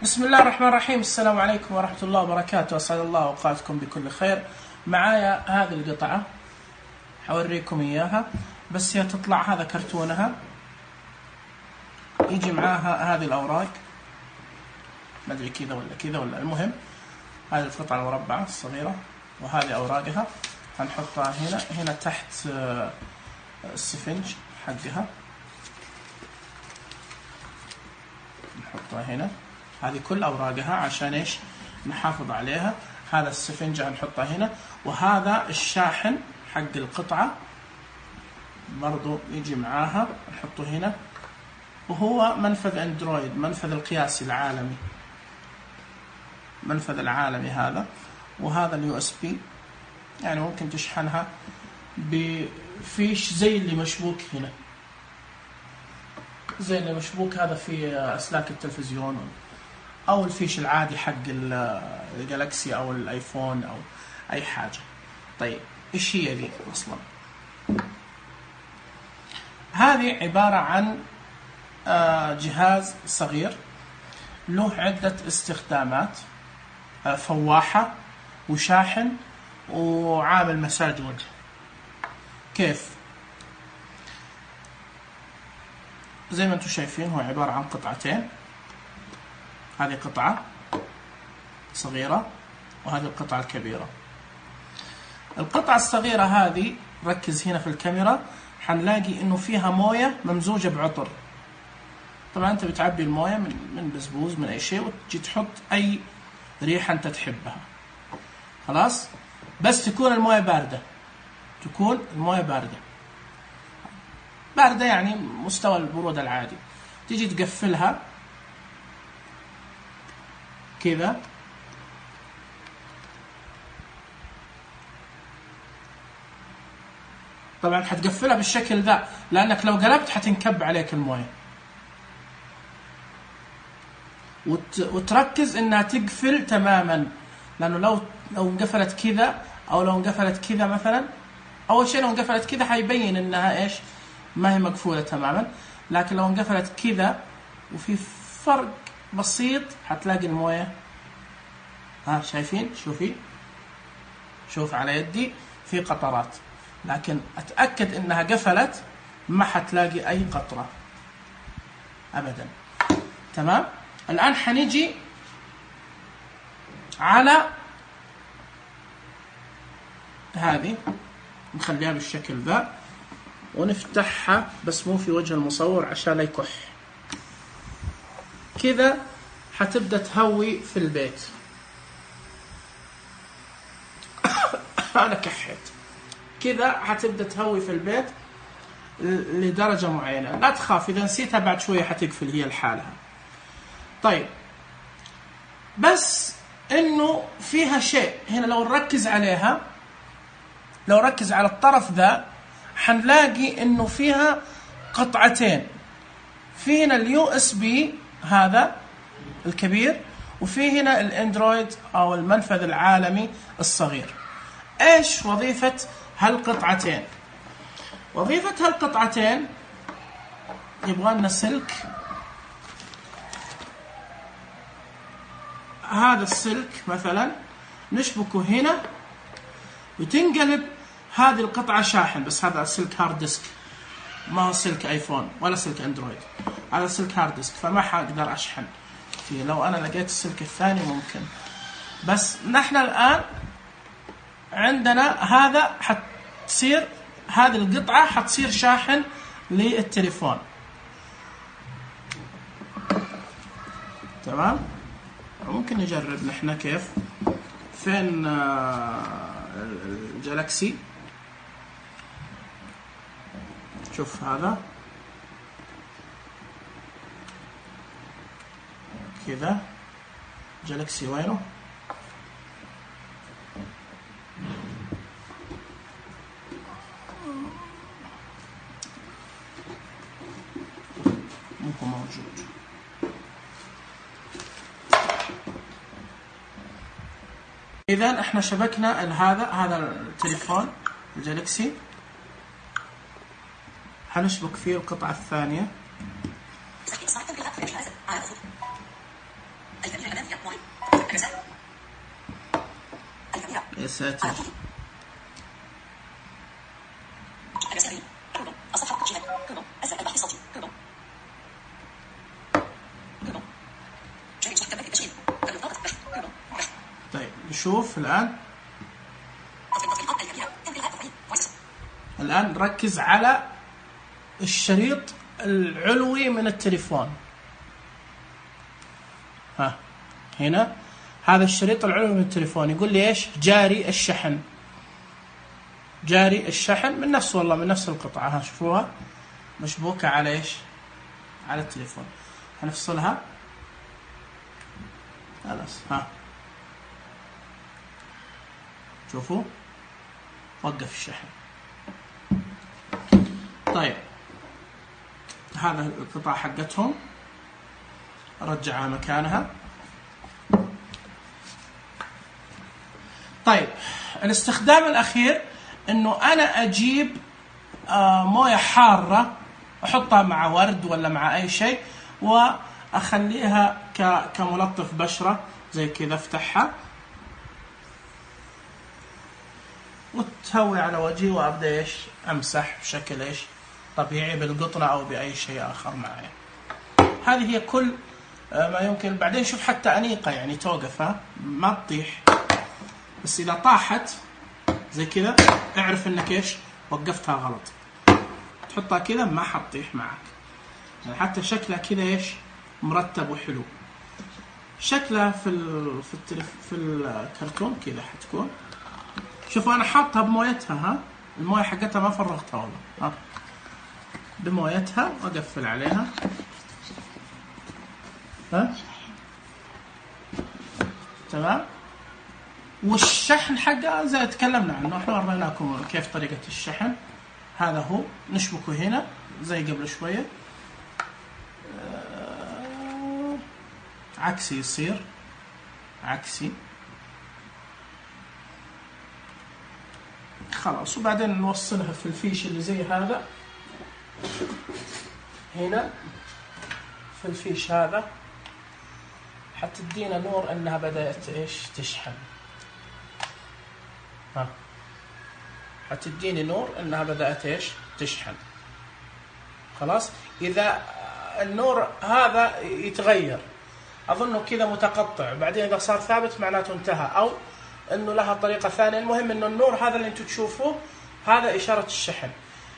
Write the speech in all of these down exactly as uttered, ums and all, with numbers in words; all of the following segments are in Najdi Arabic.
بسم الله الرحمن الرحيم. السلام عليكم ورحمة الله وبركاته. أسعد الله أوقاتكم بكل خير. معايا هذه القطعة حوريكم إياها، بس هي تطلع هذا كرتونها، يجي معاها هذه الأوراق، ما أدري كذا ولا كذا ولا، المهم هذه القطعة المربعة الصغيرة وهذه أوراقها هنحطها هنا. هنا تحت السفنج حقها نحطها هنا. هذه كل أوراقها عشان إيش؟ نحافظ عليها. هذا السفنج هنحطها هنا، وهذا الشاحن حق القطعة برضو يجي معاها نحطه هنا، وهو منفذ اندرويد، منفذ القياسي العالمي، منفذ العالمي هذا. وهذا اليو اس بي، يعني ممكن تشحنها بفيش زي اللي مشبوك هنا، زي اللي مشبوك هذا في أسلاك التلفزيون، أو الفيش العادي حق الجالكسي أو الآيفون أو أي حاجة. طيب إيش هي ذي أصلا؟ هذه عبارة عن جهاز صغير له عدة استخدامات، فواحة وشاحن وعامل مساج وجه. كيف؟ زي ما انتم شايفين هو عبارة عن قطعتين، هذه قطعة صغيرة وهذه القطعة الكبيرة. القطعة الصغيرة هذه ركز هنا في الكاميرا، حنلاقي انه فيها موية ممزوجة بعطر. طبعا انت بتعبي الموية من من بزبوز من اي شيء، وتجي تحط اي ريحة انت تحبها، خلاص. بس تكون الموية باردة، تكون الموية باردة باردة يعني مستوى البرودة العادي. تيجي تقفلها كذا، طبعا حتقفلها بالشكل ذا، لانك لو قلبت حتنكب عليك المويه. وت... وتركز انها تقفل تماما، لانه لو لو انقفلت كذا او لو انقفلت كذا مثلا، اول شيء لو انقفلت كذا حيبين انها ايش؟ ما هي مقفوله تماما. لكن لو انقفلت كذا وفي فرق بسيط حتلاقي المويه، ها شايفين؟ شوفي، شوف على يدي في قطرات، لكن اتاكد انها قفلت ما حتلاقي اي قطره ابدا. تمام. الان حنيجي على هذه، نخليها بالشكل ذا ونفتحها، بس مو في وجه المصور عشان لا يكح. كذا حتبدا تهوي في البيت. انا كحيت. كذا حتبدا تهوي في البيت لدرجه معينه. لا تخاف، اذا نسيتها بعد شويه حتقفل هي لحالها. طيب، بس انه فيها شيء هنا لو نركز عليها، لو ركز على الطرف ذا حنلاقي انه فيها قطعتين. في هنا اليو اس بي هذا الكبير، وفي هنا الاندرويد او المنفذ العالمي الصغير. ايش وظيفة هالقطعتين؟ وظيفة هالقطعتين يبغى لنا سلك. هذا السلك مثلا نشبكه هنا وتنقلب هذه القطعة شاحن، بس هذا سلك هارد ديسك، ما هو سلك ايفون ولا سلك اندرويد، هذا سلك هارد ديسك، فما حقدر اشحن فيه. لو انا لقيت السلك الثاني ممكن، بس نحن الان عندنا هذا حتصير، هذه القطعة حتصير شاحن للتليفون. تمام. ممكن نجرب نحن كيف. فين الجالكسي؟ شوف هذا كذا، جالكسي وينه؟ مو موجود. إذا احنا شبكنا هذا هذا التليفون الجالكسي، حنشبك فيه القطعة الثانية. يا ساتر. طيب نشوف الآن. الآن ركز على الشريط العلوي من التليفون. ها هنا هذا الشريط العلوي من التليفون يقول لي ايش؟ جاري الشحن. جاري الشحن من نفس والله من نفس القطعة. ها شوفوها مشبوكة على ايش؟ على التليفون. هنفصلها خلاص. ها شوفوا وقف الشحن. طيب هذا القطعة حقتهم رجعها مكانها. طيب الاستخدام الأخير إنه أنا أجيب آه موية حارة أحطها مع ورد ولا مع أي شيء وأخليها كملطف بشرة زي كذا. افتحها وتهوي على وجهي وأبدأ إيش أمسح بشكل إيش طبيعي بالقطنة أو بأي شيء آخر معي. هذه هي كل ما يمكن. بعدين شوف حتى أنيقة يعني توقفها ما تطيح، بس إذا طاحت زي كذا اعرف إنك إيش وقفتها غلط. تحطها كذا ما حتطيح معك. يعني حتى شكلها كذا إيش مرتب وحلو. شكلها في ال في التلف في الكرتون كذا حتكون. شوفوا أنا حاطها بمويتها. ها الموية حقتها ما فرغتها والله. ها بمويتها وأقفل عليها. ها تمام. والشحن حقها زي تكلمنا عنه احنا وريناكم كيف طريقة الشحن. هذا هو نشبكه هنا زي قبل شوية. آه عكسي يصير عكسي خلاص. وبعدين نوصلها في الفيش اللي زي هذا هنا في الفيش هذا حتدينا نور انها بدأت ايش تشحن. ها حتديني نور انها بدأت ايش تشحن. خلاص. اذا النور هذا يتغير اظنه كذا متقطع بعدين اذا صار ثابت معناته انتهى او انه لها طريقة ثانية. المهم انه النور هذا اللي انتم تشوفوه هذا اشارة الشحن.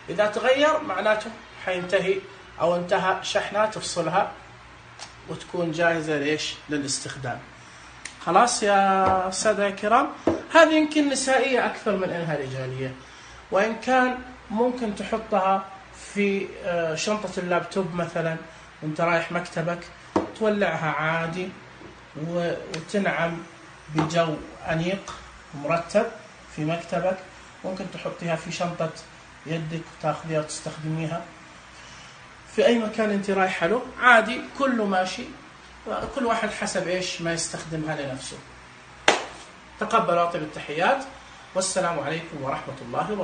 اذا تغير معناته حينتهي او انتهى شحنها. تفصلها وتكون جاهزة ليش للاستخدام. خلاص يا سادة الكرام. هذه يمكن نسائية أكثر من أنها رجالية، وإن كان ممكن تحطها في شنطة اللابتوب مثلا وانت رايح مكتبك تولعها عادي وتنعم بجو أنيق ومرتب في مكتبك. ممكن تحطيها في شنطة يدك وتاخذيها وتستخدميها في أي مكان أنت رايحة له عادي. كله ماشي. كل واحد حسب إيش ما يستخدمها لنفسه. تقبلوا أطيب التحيات والسلام عليكم ورحمة الله وبركاته.